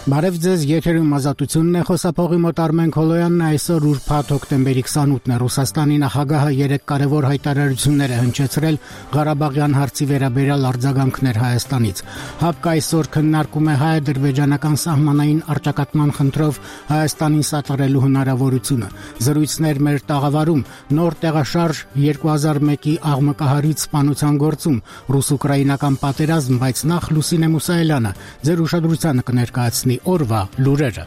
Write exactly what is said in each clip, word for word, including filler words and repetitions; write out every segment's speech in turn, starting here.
Բարև ձեզ, եթերում ազատությունն է, խոսափողի մոտ Արմեն Քոլոյանն այսօր ուրբաթ հոկտեմբերի քսանութն է։ Ռուսաստանի նախագահը երեք կարևոր հայտարարություններ է հնչեցրել Ղարաբաղյան հարցի վերաբերյալ արձագանքներ Հայաստանից։ ՀԱՊԿ այսօր քննարկում է հայ-ադրբեջանական սահմանային առճակատման խնդրով Հայաստանին սատարելու հնարավորությունը։ Զրույցներ մեր տաղավարում, նոր տեղաշարժ երկու հազար մեկի աղմկահարույց սպանության գործում, ռուս-ուկրաինական պատերազմ, բայց նախ Լուսինե Մուսայելյանը ձեր ուշադրությանը կներկայացնի օրվա լուրերը։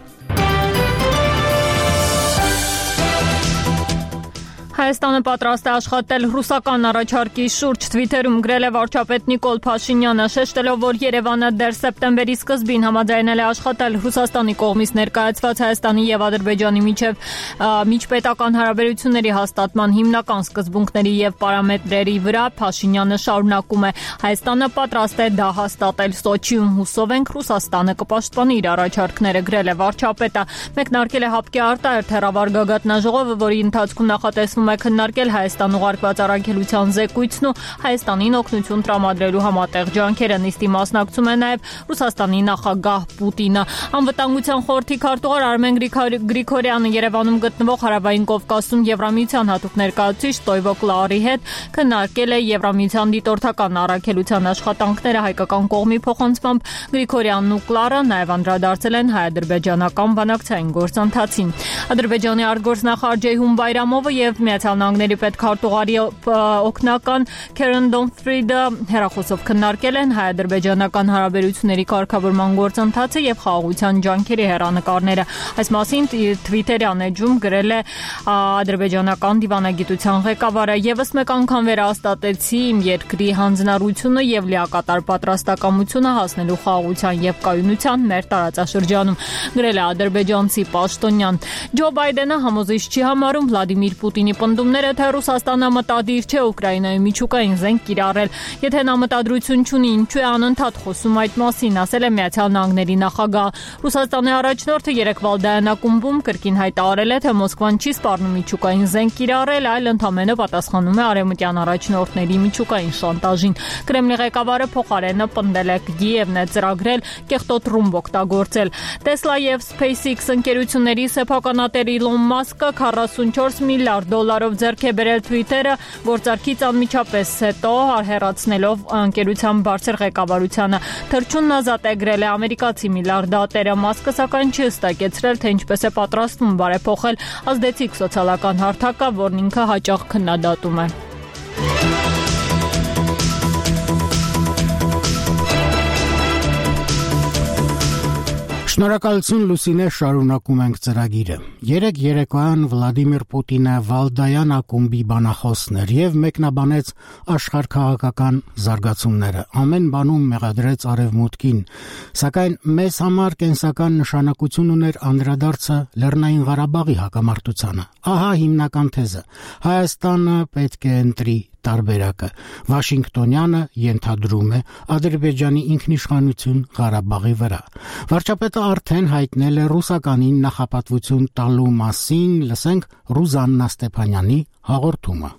Հայաստանը պատրաստ է աշխատել ռուսական առաջարկի շուրջ, Թվիթերում գրել է վարչապետ Նիկոլ Փաշինյանը, շեշտելով, որ Երևանը դեռ սեպտեմբերի սկզբին համաձայնել է աշխատել Ռուսաստանի կողմից ներկայացված Հայաստանի եւ Ադրբեջանի միջև միջպետական հարաբերությունների հաստատման հիմնական սկզբունքների եւ պարամետրերի վրա։ Փաշինյանը շարունակում է. Հայաստանը պատրաստ է դա հաստատել Սոչիում, հուսով ենք Ռուսաստանը կպաշտպանի իր առաջարկները, գրել է վարչապետը։ Մեկնարկել է ՀԱՊԿ-ի արտահերթ հեռավար գագաթնաժողովը, որի ընթացքում նախատեսվում է քննարկել Հայաստան ուղարկված առաքելության զեկույցն ու Հայաստանին օգնություն տրամադրելու համատեղ ջանքերը։ Նիստի մասնակցում է նաև Ռուսաստանի նախագահ Պուտինը։ Անվտանգության խորհրդի քարտուղար Արմեն Գրիգորյանը Երևանում գտնվող Հարավային Կովկասում Եվրամիության հատուկ ներկայացուցիչ Տոյվո Կլարի հետ քննարկել է Եվրամիության դիտորդական առաքելության աշխատանքները հայկական կողմի փոխանցմամբ։ Գրիգորյանն ու Կլարը նաև անդրադարձել են հայ-ադրբեջանական բանակցային գործընթացին։ Ադրբեջանի արտգործնախարար Ջեյհուն Բայրամովը եւ Միացյալ Նահանգների պետքարտուղարի օգնական Քերեն Դոնֆրիդը հեռախոսով քննարկել են հայ-ադրբեջանական հարաբերությունների կարգավորման գործընթացը եւ խաղաղության ջանքերի հեռանկարները։ Այս մասին Թվիթերյան էջում գրել է ադրբեջանական դիվանագիտության ղեկավարը։ Եվս մեկ անգամ վերահաստատեցի իմ երկրի հանձնառությունը եւ լիակատար պատրաստակամությունը հասնելու խաղաղության եւ կայունության մեր տարածաշրջանում, գրել է ադրբեջանցի պաշտոնյան։ Ջո Բայդենը համոզիչ չի համարում Վլադիմիր Պուտինի պնդումները, թե Ռուսաստանը մտադիր չէ Ուկրաինայի միջուկային զենք կիրառել։ Եթե նա մտադրություն չունի, ինչու է անընդհատ խոսում այդ մասին, ասել է Միացյալ Նահանգների նախագահ։ Ռուսաստանի առաջնորդը երեք Վալդայանակումբում կրկին հայտարարել է, թե Մոսկվան չի սպառնում միջուկային զենք կիրառել, այլ ընդամենը պատասխանում է արևմտյան առաջնորդների միջուկային շանտաժին։ Կրեմլի ղեկավարը փոխարենը պնդել է Կիևն է ծրագրել կեղտոտ ռումբ օգտագործել։ Տեսլա եւ SpaceX ընկերությունների սեփականատեր Իլոն Մասկը քառասունչորս միլիարդ դոլարով ձեռք է բերել Twitter-ը գործարքից անմիջապես հետո հեռացնելով ընկերության բարձր ղեկավարությանը։ Թռչունն ազատ է գրել է ամերիկացի միլիարդատերը։ Մասկը սակայն չի հստակեցրել, թե ինչպես է պատրաստվում բարեփոխել ազդեցիկ սոցիալական հարթակը, որն ինքը հաճախ քննադատում է։ Շնորհակալություն Լուսինե, շարունակում ենք ծրագիրը։ Երեք երեկոյան Վլադիմիր Պուտինը Վալդայան ակումբի բանախոսն էր եւ մեկնաբանեց աշխարհքաղաքական զարգացումները։ Ամեն բանում մեղադրեց արևմուտքին, սակայն մեզ համար կենսական նշանակություն ուներ անդրադարձը Լեռնային Ղարաբաղի հակամարտությանը։ Ահա հիմնական թեզը. Հայաստանը պետք է ընտրի տարբերակը։ Վաշինգտոնյանը ենթադրում է Ադրբեջանի ինքնիշխանություն Ղարաբաղի վրա։ Վարչապետը արդեն հայտնել է ռուսականին նախապատվություն տալու մասին, լսենք Ռուզաննա Ստեփանյանի հաղորդումը։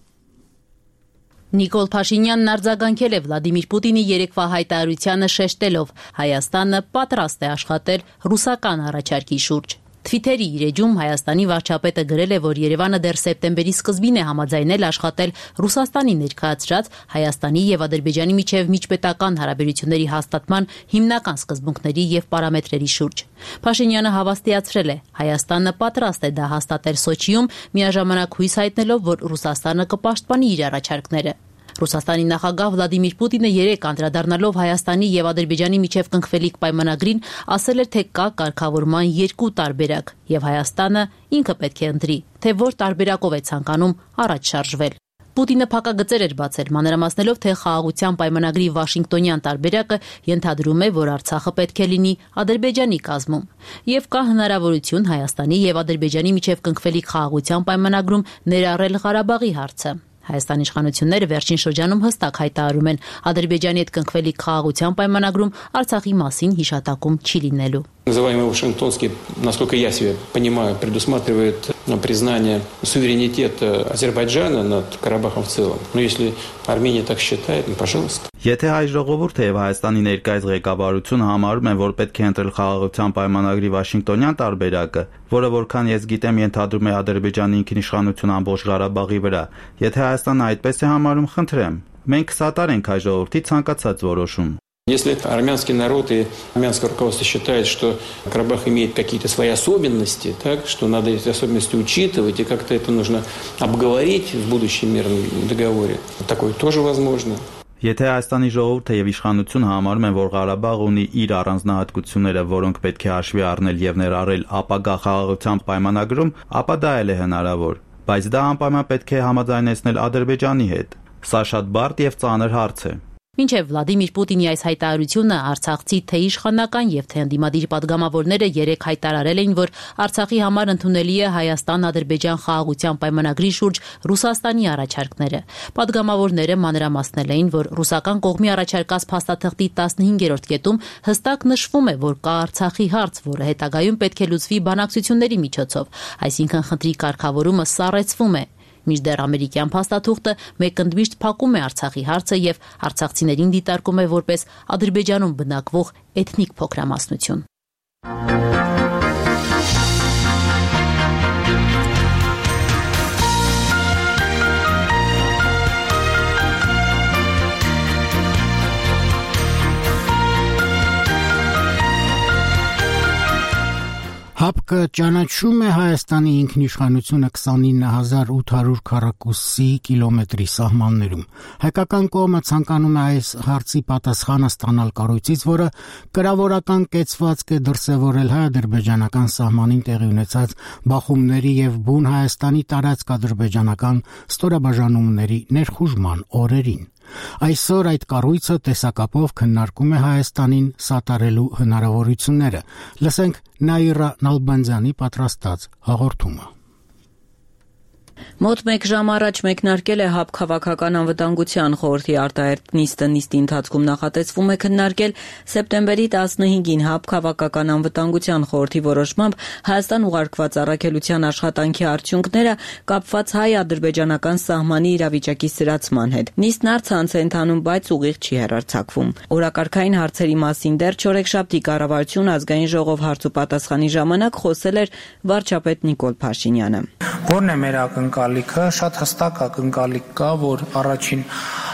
Նիկոլ Փաշինյանն արձագանքել է Վլադիմիր Պուտինի երեկվա հայտարարությանը, շեշտելով. Հայաստանը պատրաստ է աշխատել ռուսական առաջարկի շուրջ։ Թվիթերի իր էջում Հայաստանի վարչապետը գրել է, որ Երևանը դեռ սեպտեմբերի սկզբին է համաձայնել աշխատել Ռուսաստանի ներկայացրած Հայաստանի եւ Ադրբեջանի միջև միջպետական հարաբերությունների հաստատման հիմնական սկզբունքների եւ պարամետրերի շուրջ։ Փաշինյանը հավաստիացրել է. Հայաստանը պատրաստ է դա հաստատել Սոչիում, միաժամանակ հույս հայտնելով, որ Ռուսաստանը կպաշտպանի իր առաջարկները։ Ռուսաստանի նախագահ Վլադիմիր Պուտինը երեկ անդրադառնալով Հայաստանի եւ Ադրբեջանի միջև կնքվելիք պայմանագրին ասել էր, թե կա կարգավորման երկու տարբերակ եւ Հայաստանը ինքը պետք է ընտրի, թե որ տարբերակով է ցանկանում առաջ շարժվել։ Պուտինը փակագծեր էր բացել, մանրամասնելով, թե խաղաղության պայմանագրի Վաշինգտոնյան տարբերակը ենթադրում է, որ Արցախը պետք է լինի Ադրբեջանի կազմում, եւ կա հնարավորություն Հայաստանի եւ Ադրբեջանի միջև կնքվելիք խաղաղության պայմանագրում ներառել Ղարաբաղի հարցը։ Հայաստանի իշխանությունները վերջին շրջանում հստակ հայտարարում են Ադրբեջանի հետ կնքվելիք խաղաղության պայմանագրում Արցախի մասին հիշատակում չի լինելու։ Называемый Вашингтонский, насколько я себе понимаю, предусматривает признание суверенитета Азербайджана над Карабахом в целом. Но если Армения так считает, ну, пожалуйста. Եթե հայ ժողովուրդը եւ Հայաստանի ներկայիս ղեկավարությունը համարում են, որ պետք է ընտրել խաղաղության պայմանագրի Վաշինգտոնյան տարբերակը, որը որքան ես գիտեմ ենթադրում է Ադրբեջանի ինքնիշխանություն ամբողջ Ղարաբաղի վրա, եթե Հայաստանը այդպես է համարում, խնդրեմ, մենք սատարենք հայ ժողովրդի ցանկացած որոշում. Если армянский народ и армянское руководство считает, что Карабах имеет какие-то свои особенности, так, что надо эти особенности учитывать, и как-то это нужно обговорить в будущем мирном договоре, такое тоже возможно. Եթե Հայաստանի ժողովուրդը եւ իշխանությունը համարում են, որ Ղարաբաղ ունի իր առանձնահատկությունները, որոնք պետք է հաշվի առնել եւ ներառել ապագա խաղաղության պայմանագրում, ապա դա էլ է հնարավոր, բայց դա անպայման պետք է համաձայնեցնել Ադրբեջանի հետ։ Սա շատ բարդ եւ ծանր հարց է։ Մինչև Վլադիմիր Պուտինի այս հայտարարությունը արցախցի թե իշխանական եւ թե ընդդիմադիր պատգամավորները երեք հայտարարել էին, որ Արցախի համար ընդունելի է Հայաստան-Ադրբեջան խաղաղության պայմանագրի շուրջ Ռուսաստանի առաջարկները։ Պատգամավորները մանրամասնել էին, որ ռուսական կողմի առաջարկած փաստաթղթի տասնհինգերորդ կետում հստակ նշվում է, որ կա Արցախի հարց, որը հետագայում պետք է լուծվի բանակցությունների միջոցով, այսինքն խնդրի կարգավորումը սառեցվում է։ Մինչդեռ ամերիկյան փաստաթուղթը մեկընդմիշտ փակում է Արցախի հարցը եւ արցախցիներին դիտարկում է որպես Ադրբեջանում բնակվող էթնիկ փոքրամասնություն։ ՀԱՊԿ-ը ճանաչում է Հայաստանի ինքնիշխանությունը քսանինը հազար ութ հարյուր քառակուսի կիլոմետրի սահմաններում։ Հայկական կողմը ցանկանում է այս հարցի պատասխանը ստանալ կառույցից, որը կրավորական կեցվածք է դրսևորել հայ-ադրբեջանական սահմանին տեղի ունեցած բախումների եւ բուն Հայաստանի տարածք-ադրբեջանական ստորաբաժանումների ներխուժման օրերին։ Այսօր այդ կառույցը տեսակապով քննարկում է Հայաստանին սատարելու հնարավորությունները։ Լսենք Նաիրա Նալբանդյանի պատրաստած հաղորդումը։ Մոտ մեկ ժամ առաջ մեկնարկել է ՀԱՊԿ Քաղաքական անվտանգության խորհրդի արտահերթ նիստը։ Նիստի ընթացքում նախատեսվում է քննարկել սեպտեմբերի տասնհինգին ՀԱՊԿ Քաղաքական անվտանգության խորհրդի որոշմամբ Հայաստան ուղարկված առաքելության աշխատանքի արդյունքները կապված հայ-ադրբեջանական սահմանի իրավիճակի սրացման հետ։ Նիստն առցանց է ընթանում, բայց ուղիղ չի հեռարձակվում։ Օրակարգային հարցերի մասին դեռ չորեքշաբթի կառավարություն ազգային ժողով հարց ու պատասխանի ժամանակ խոսել էր վարչապետ Նիկոլ Փաշինյանը։ Որն է մեր ակնկալիքը, շատ հստակ ակնկալիք կա, որ առաջին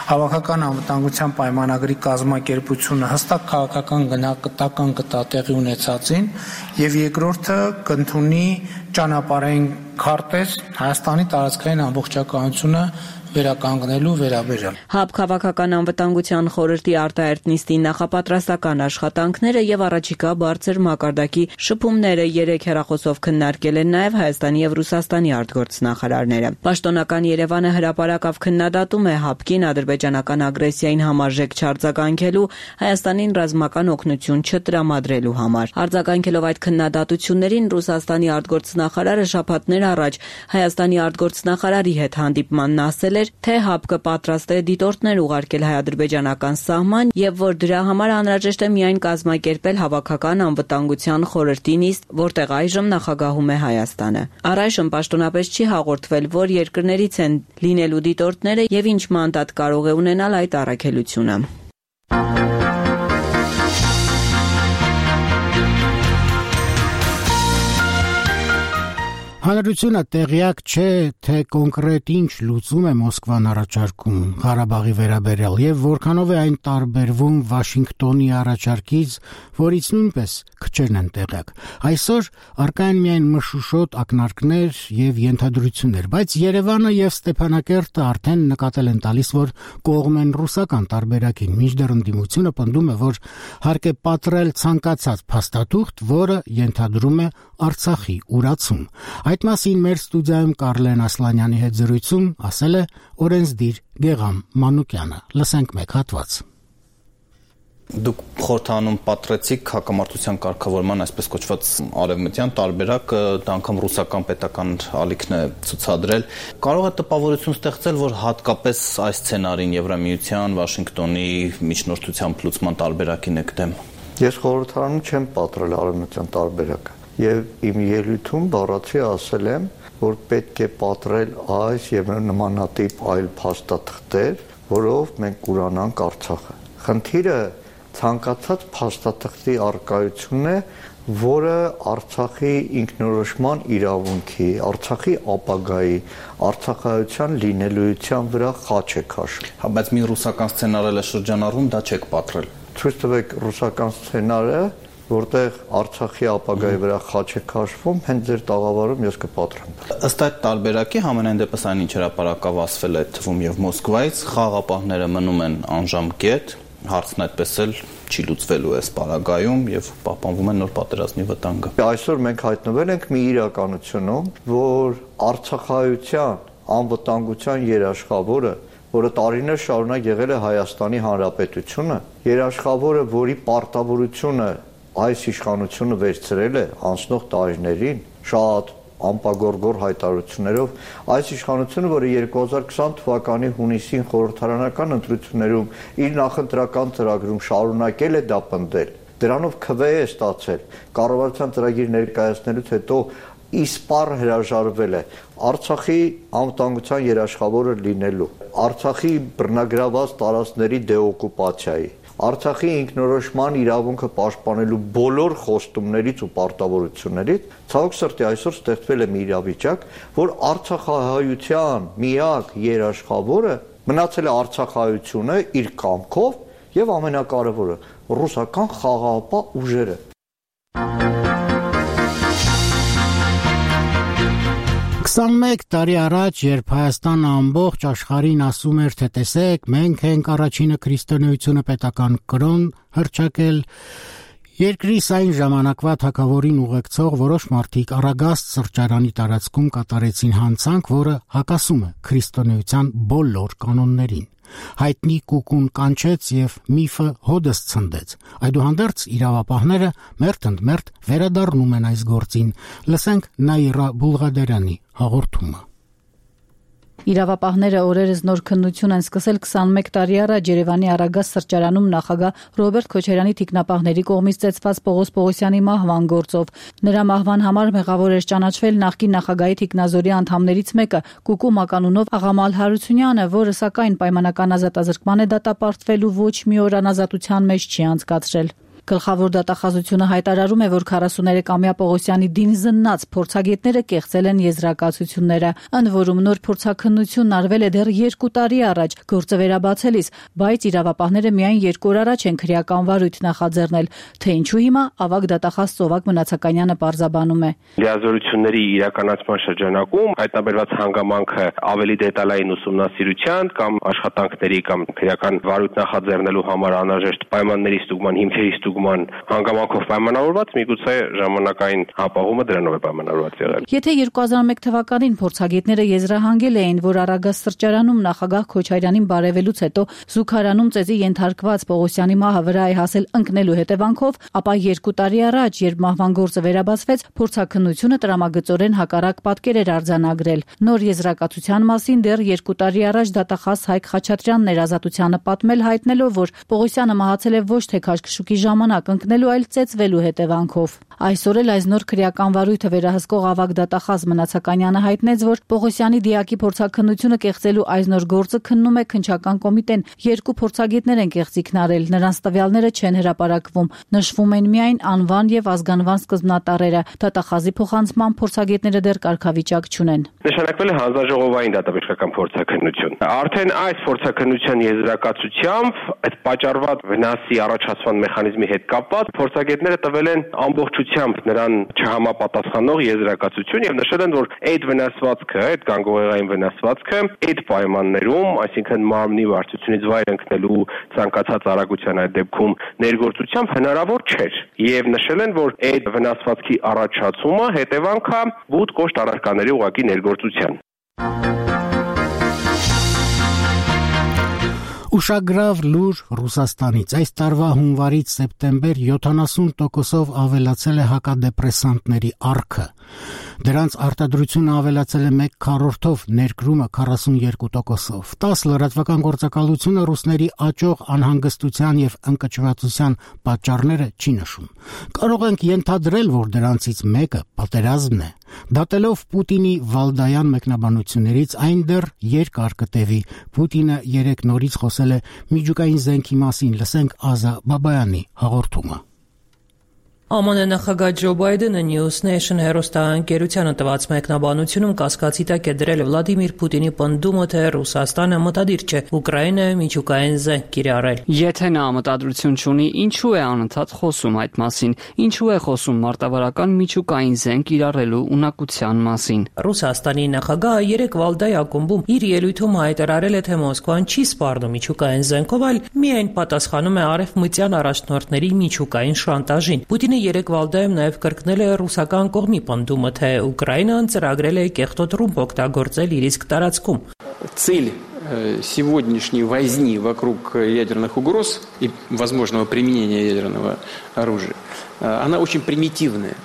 հավաքական անվտանգության պայմանագրի կազմակերպությունը հստակ քաղաքական գնահատական կտա տեղի ունեցածին, եւ երկրորդը կընդունի ճանապարհային քարտեզ Հայաստանի տարածքային ամբողջականությունը վերականգնելու վերաբերյալ։ ՀԱՊԿ Քաղաքական անվտանգության խորհրդի արտահերթ նիստի նախապատրաստական աշխատանքները եւ առաջիկա բարձր մակարդակի շփումները երեք հեռախոսով քննարկել են նաեւ Հայաստանի եւ Ռուսաստանի արտգործնախարարները։ Պաշտոնական Երևանը հրապարակավ քննադատում է ՀԱՊԿ-ին ադրբեջանական ագրեսիային համարժեք չարձագանքելու, Հայաստանին ռազմական օգնություն չտրամադրելու համար։ Արձագանքելով այդ քննադատություններին Ռուսաստանի արտգործնախարարը շաբաթներ առաջ Հայաստանի արտգործնախարարի հետ հանդիպմանն ասել թե ՀԱՊԿ-ը պատրաստ է դիտորդներ ուղարկել հայ-ադրբեջանական սահման եւ որ դրա համար անհրաժեշտ է միայն կազմակերպել հավաքական անվտանգության խորհրդի նիստ, որտեղ այժմ նախագահում է Հայաստանը։ Առայժմ պաշտոնապես չի հաղորդվել, որ երկրներից են լինելու դիտորդները եւ ինչ մանդատ կարող է ունենալ այդ առաքելությունը։ Հանրությունը տեղյակ չէ, թե կոնկրետ ինչ լուծում է Մոսկվան առաջարկում Ղարաբաղի վերաբերյալ եւ որքանով է այն տարբերվում Վաշինգտոնի առաջարկից, որից նույնպես քչերն են տեղյակ։ Այսօր առկա են միայն մշուշոտ ակնարկներ եւ ենթադրություններ, բայց Երևանը եւ Ստեփանակերտը արդեն նկատել են տալիս, որ կողմ են ռուսական տարբերակին, մինչդեռ ընդդիմությունը պնդում է, որ հարկ է պատրել ցանկացած փաստաթուղթ, որը ենթադրում է Արցախի ուրացում։ Այդ մասին մեր ստուդիայում Կարլեն Ասլանյանի հետ զրույցում ասել է օրենսդիր Գեգամ Մանուկյանը։ Լսենք մեկ հատված։ Դուք խորհրդանում պատրեցիք հակամարտության կարգավորման այսպես կոչված արևմտյան տարբերակը, դա անգամ ռուսական պետական ալիքն է ցուցադրել։ Կարող է տպավորություն ստեղծել, որ հատկապես այս սցենարին Եվրամիության, Վաշինգտոնի միջնորդությամբ լուծման տարբերակին եք դեմ։ Ես խորհրդարանում չեմ պատրել արևմտյան տարբերակը եւ իմ ելույթում բառացի ասել եմ, որ պետք է պատրել այս եւ նմանատիպ այլ փաստաթղթեր, որով մենք կուրանանք Արցախը։ Խնդիրը ցանկացած փաստաթղթի առկայությունն է, որը Արցախի ինքնորոշման իրավունքի, Արցախի ապագայի, արցախայության լինելույթյան վրա խաչ է քաշում։ Հա, բայց մի ռուսական սցենարել է շրջանառում, դա չեք պատրել։ Ցույց տվեք ռուսական սցենարը, որտեղ Արցախի ապագայի վրա խաչ է քաշվում, հենց ձեր տաղավարում ես կպատրեմ։ Ըստ այդ տարբերակի համենայն դեպս այն ինչ հրապարակավ ասվել է թվում եւ Մոսկվայից, խաղապահները մնում են անժամկետ, հարցն այդպես էլ չի լուծվելու այս պարագայում եւ պահպանվում է նոր պատերազմի վտանգը։ Այսօր մենք հայտնվել ենք մի իրականությունում, որ արցախայության անվտանգության երաշխավորը, որը տարիներ շարունակ եղել է Հայաստանի Հանրապետությունը, երաշխավորը, որի պարտավորությունը այս իշխանությունը վերցրել է անցնող տարիներին, շատ անպագորգոր հայտարարություններով, այս իշխանությունը, որը երկու հազար քսան թվականի հունիսին խորհրդարանական ընտրություններում իր նախընտրական ծրագրում շարունակել է դա պնդել, դրանով քվե է ստացել, կառավարության ծրագիր ներկայացնելուց հետո իսպառ հրաժարվել է Արցախի անվտանգության երաշխավորը լինելու, Արցախի բռնագրաված տարածքների դեօկուպացիայի, Արցախի ինքնորոշման իրավունքը պաշտպանելու բոլոր խոստումներից ու պարտավորություններից, ցավոք սրտի այսօր ստեղծվել է մի իրավիճակ, որ արցախահայության միակ երաշխավորը մնացել է արցախահայությունը իր կամքով եւ ամենակարևորը ռուսական խաղաղապահ ուժերը։ քսանմեկ տարի առաջ, երբ Հայաստանը ամբողջ աշխարհին ասում էր, թե տեսեք, մենք ենք առաջինը քրիստոնեությունը պետական կրոն հռչակել, երկրիս այն ժամանակվա թագավորին ուղեկցող որոշ մարդիկ Արագաստ սրճարանի տարածքում կատարեցին հանցանք, որը հակասում է քրիստոնեության բոլոր կանոններին։ Հայտնի կուկուն կանչեց եւ միֆը հոդս ցնդեց։ Այդուհանդերձ իրավապահները մերթ ընդ մերթ վերադառնում են այս գործին։ Լսենք Նաիրա Բուլղադերյանի հաղորդումը։ Իրավապահները օրերս նոր քննություն են սկսել քսանմեկ տարի առաջ Երևանի Արագաստ սրճարանում նախագահ Ռոբերտ Քոչարյանի թիկնապահների կողմից ծեծված Պողոս Պողոսյանի մահվան գործով։ Նրա մահվան համար մեղավոր էր ճանաչվել նախկին նախագահի թիկնազորի անդամներից մեկը՝ Կուկու Մականունով Աղամալ Հարությունյանը, որը սակայն պայմանական ազատազրկման է դատապարտվել ու ոչ մի օր անազատության մեջ չի անցկացրել։ Գլխավոր դատախազությունը հայտարարում է, որ քառասուներեքամյա Պողոսյանի դին զննած փորձագետները կեղծել են եզրակացությունները, ընդ որում նոր փորձաքննությունն արվել է դեռ երկու տարի առաջ գործը վերաբացելիս, բայց իրավապահները միայն երկու օր առաջ են քրեական վարույթ նախաձեռնել, թե ինչու հիմա ավագ դատախազ Ծովակ Մնացականյանը պարզաբանում է։ Լիազորությունների իրականացման շրջանակում հայտնաբերված հանգամանքը ավելի դետալային ուսումնասիրության կամ աշխատանքների կամ քրեական վարույթ նախաձեռնելու համար անհրաժեշտ պայմանների ստուգման հիմքերի ստուգման հանգամանքով պայմանավորված, միգուցե ժամանակային հապաղումը դրանով է պայմանավորված եղել։ Եթե երկու հազար մեկ թվականին փորձագետները եզրահանգել էին, որ Արագաստ սրճարանում նախագահ Քոչարյանին բարևելուց հետո զուգարանում ծեծի ենթարկված Պողոսյանի մահը վրա է հասել ընկնելու հետևանքով, ապա երկու տարի առաջ, երբ մահվան գործը վերաբացվեց, փորձաքննությունը տրամագծորեն հակառակ պատկեր էր արձանագրել։ Նոր եզրակացության մասին դեռ երկու տարի առաջ դատախազ Հայկ Խաչատրյանն էր Ազատությանը պատմել, հայտնելով, որ Պողոսյանը մահացել է ոչ թե քաշքշուկի ժամանակ ընկնելու, այլ ծեծվելու հետևանքով։ Այսօր էլ այս նոր քրեական վարույթը վերահսկող ավագ դատախազ Մնացականյանը հայտնեց, որ Պողոսյանի դիակի փորձաքննությունը կեղծելու այս նոր գործը քննում է քննչական կոմիտեն։ Երկու փորձագետներ են կեղծիքն արել, նրանց տվյալները չեն հրապարակվում, նշվում են միայն անվան եւ ազգանվան սկզբնատառերը։ Դատախազի փոխանցման փորձագետները դեռ կարգավիճակ չունեն։ Նշանակվել է հանձնաժողովային դատաբժշկական փորձաքննություն։ Արդեն այս փորձաքննության եզրակացությամբ այդ պատճառված վնասի առաջացման մեխանիզմի հետ կապված փորձագետները տվել են ամբողջությամբ նրան չհամապատասխանող եզրակացություն եւ նշել են, որ այդ վնասվածքը, այդ գանգուղեղային վնասվածքը այդ պայմաններում, այսինքն մարմնի վարչությունից վայր ընկնելու ցանկացած արագության այդ դեպքում ներգործությամբ հնարավոր չէր եւ նշել են, որ այդ վնասվածքի առաջացումը հետևանք է բուտ կոշտ առարկաների ուղղակի ներգործության։ Ուշագրավ լուր Ռուսաստանից։ Այս տարվա հունվարից սեպտեմբեր յոթանասուն տոկոսով ավելացել է հակադեպրեսանտների առքը։ Դրանց արտադրությունը ավելացել է մեկ քառորդով, ներկրումը քառասունյոթ տոկոսով։ տաս լրատվական գործակալությունը ռուսների աճող անհանգստության եւ ընկճվածության պատճառները չի նշում։ Կարող ենք ենթադրել, որ դրանցից մեկը պատերազմն է։ Դատելով Պուտինի Վալդայան մեկնաբանություններից այն դեռ երկար կտևի։ Պուտինը երեք նորից խոսել է միջուկային զենքի մասին, լսենք Ազա Բաբայանի հաղորդումը։ Է Մ Ն նախագահ Ջո Բայդենը News Nation հեռուստաընկերությանը տված մեկնաբանությունում կասկածի տակ է դրել Վլադիմիր Պուտինի պնդումը, թե Ռուսաստանը մտադիր չէ Ուկրաինայում միջուկային զենք կիրառել։ Եթե նա մտադրություն չունի, ինչու է անընդհատ խոսում այդ մասին, ինչու է խոսում մարտավարական միջուկային զենք կիրառելու ունակության մասին։ Ռուսաստանի նախագահը երեք Վալդայի ակումբում իր ելույթում հայտարարել է, թե Մոսկվան չի սպառնում միջուկային զենքով, այլ միայն պատասխանում է արևմտյան առաջնորդների միջուկային շանտաժին։ Պուտինը երեք Վալդայում նաև կրկնել է ռուսական կողմի պնդումը, թե Ուկրաինան ծրագրել է կեղտոտ ռումբ օգտագործել իր իսկ տարածքում։ Цель сегодняшней возни вокруг ядерных угроз и возможного применения ядерного оружия, она очень примитивная.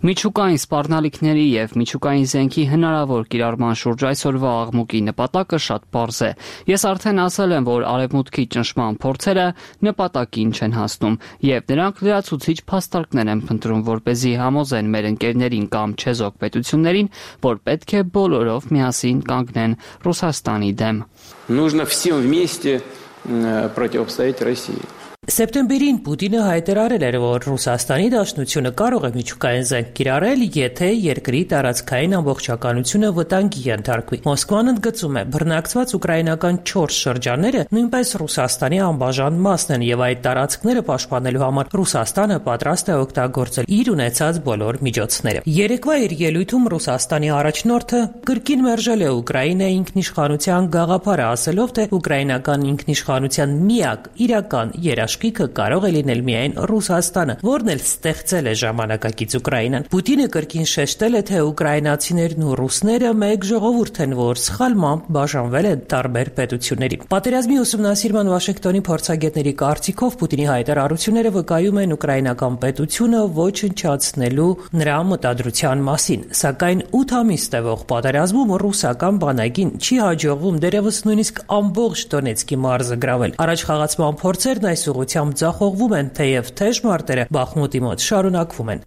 Միջուկային սպառնալիքների եւ միջուկային զենքի հնարավոր կիրառման շուրջ այսօրվա աղմուկի նպատակը շատ պարզ է։ Ես արդեն ասել եմ, որ արևմուտքի ճնշման փորձերը նպատակին չեն հասնում, եւ նրանք լրացուցիչ փաստարկներ են փնտրում, որպեսզի համոզեն մեր ընկերներին կամ չեզոք պետություններին, որ պետք է բոլորով միասին կանգնեն Ռուսաստանի դեմ։ Нужно всем вместе противостоять России. Սեպտեմբերին Պուտինը հայտարարել էր, որ Ռուսաստանի Դաշնությունը կարող է միջուկային զենք կիրառել, եթե երկրի տարածքային ամբողջականությունը վտանգի ենթարկվի։ Մոսկվան ընդգծում է, բռնակցված ուկրաինական չորս շրջանները նույնպես Ռուսաստանի անբաժան մասն են, եւ այդ տարածքները պաշտպանելու համար Ռուսաստանը պատրաստ է օգտագործել իր ունեցած բոլոր միջոցները։ Երեկվա իր ելույթում Ռուսաստանի առաջնորդը կրկին մերժել է Ուկրաինայի ինքնիշխանության գաղափարը, ասելով, թե ուկրաինական ինքնիշխանության միակ իրական երաշխիքը կարող է լինել միայն Ռուսաստանը, որն էլ ստեղծել է ժամանակակից Ուկրաինան։ Պուտինը կրկին շեշտել է, թե ուկրաինացիներն ու ռուսները մեկ ժողովուրդ են, որ սխալմամբ բաժանվել են տարբեր պետությունների։ Պատերազմի ուսումնասիրման Վաշինգտոնի փորձագետների կարծիքով Պուտինի հայտարարությունները վկայում են ուկրաինական պետությունը ոչնչացնելու նրա մտադրության մասին, սակայն ութ ամիս տևող պատերազմում ռուսական բանակին չի հաջողվում դերևս նույնիսկ ամբողջ Դոնեցկի մարզը գրավել։ Առաջխաղացման փորձերն այս ուղղությամբ ձախողվում են, թեև թեժ մարտերը Բախմուտի մոտ շարունակվում են։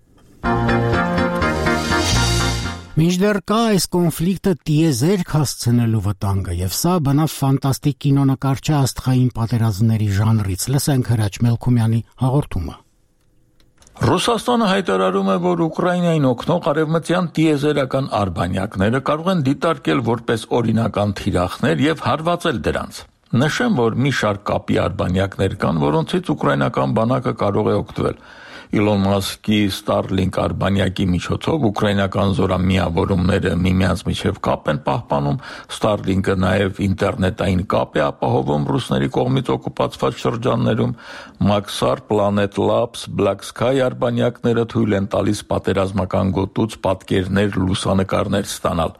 Մինչդեռ կա այս կոնֆլիկտը տիեզերք հասցնելու վտանգը, եւ սա բնավ ֆանտաստիկ կինոնկարչի աստղային պատերազմների ժանրից։ Լսենք Հրաչ Մելքումյանի հաղորդումը։ Ռուսաստանը հայտարարում է, որ Ուկրաինային օգնող արևմտյան տիեզերական արբանյակները կարող են դիտարկել որպես օրինական թիրախներ եւ հարվածել դրանց։ Նշեմ, որ մի շարք կապի արբանյակներ կան, որոնցից ուկրաինական բանակը կարող է օգտվել։ Իլոն Մասկի Starlink արբանյակի միջոցով ուկրաինական զորամիավորումները միմյանց միջև կապ են պահպանում, Starlink-ը նաև ինտերնետային կապ է ապահովում ռուսների կողմից օկուպացված շրջաններում, Maxar, Planet Labs, Black Sky արբանյակները թույլ են տալիս պատերազմական գոտուց պատկերներ, լուսանկարներ ստանալ։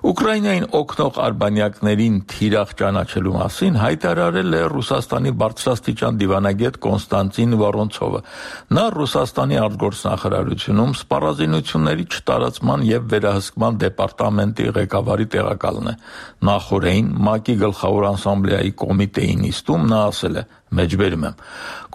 Ուկրաինային օգնող արբանյակներին թիրախ ճանաչելու մասին հայտարարել է Ռուսաստանի բարձրաստիճան դիվանագետ Կոնստանտին Վորոնցովը։ Նա Ռուսաստանի արտգործնախարարությունում սպառազինությունների չտարածման եւ վերահսկման դեպարտամենտի ղեկավարի տեղակալն է։ Նախորդին ՄԱԿ-ի գլխավոր ասամբլեայի կոմիտեի նիստում նա ասել է. Մեջբերում եմ.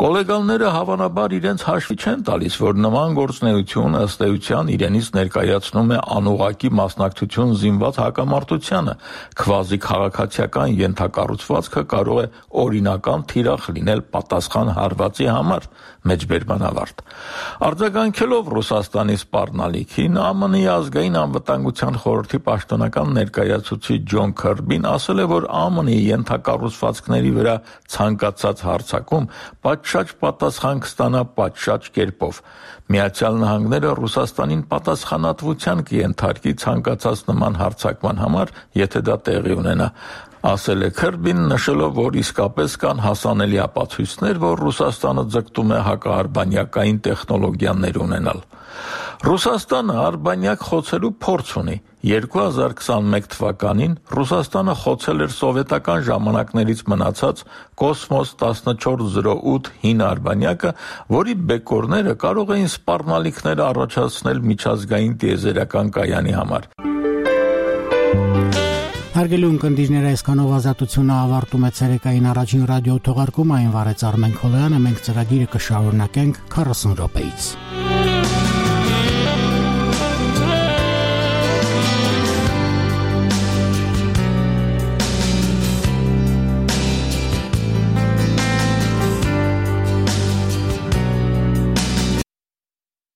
Կոլեգաները հավանաբար իրենց հաշվի չեն տալիս, որ նման գործունեություն ըստ էության իրենից ներկայացնում է անուղղակի մասնակցություն զինված հակամարտությանը, քվազի քաղաքացիական ենթակառուցվածքը կարող է օրինական թիրախ լինել պատասխան հարվածի համար, մեջբերման ավարտ։ Արձագանքելով Ռուսաստանի սպառնալիքին, ԱՄՆ-ի ազգային անվտանգության խորհրդի պաշտոնական ներկայացուցիչ Ջոն Քըրբին ասել է, որ ԱՄՆ-ի ենթակառուցվածքների վրա ցանկացած հարձակում պատշաճ պատասխան կստանա պատշաճ կերպով։ Միացյալ Նահանգները Ռուսաստանին պատասխանատվության կենթարկի ցանկացած նման հարձակման համար, եթե դա տեղի ունենա։ ասել է Քըրբին, նշելով, որ իսկապես կան հասանելի ապացույցներ, որ Ռուսաստանը ձգտում է հակաարբանյակային տեխնոլոգիաներ ունենալ։ Ռուսաստանը արբանյակ խոցելու փորձ ունի։ երկու հազար քսանմեկ թվականին Ռուսաստանը խոցել էր սովետական ժամանակներից մնացած Կոսմոս տասնչորս զրո ութ հին արբանյակը, որի բեկորները կարող էին սպառնալիքներ առաջացնել միջազգային տիեզերական կայանի համար։ Հարգելի ունկնդիրներ, այսքանով ազատությունը ավարտում է ցերեկային առաջին ռադիո թողարկումը, այն վարեց Արմեն Քոլոյանը, մենք ծրագիրը կշարունակենք քառասուն րոպեից։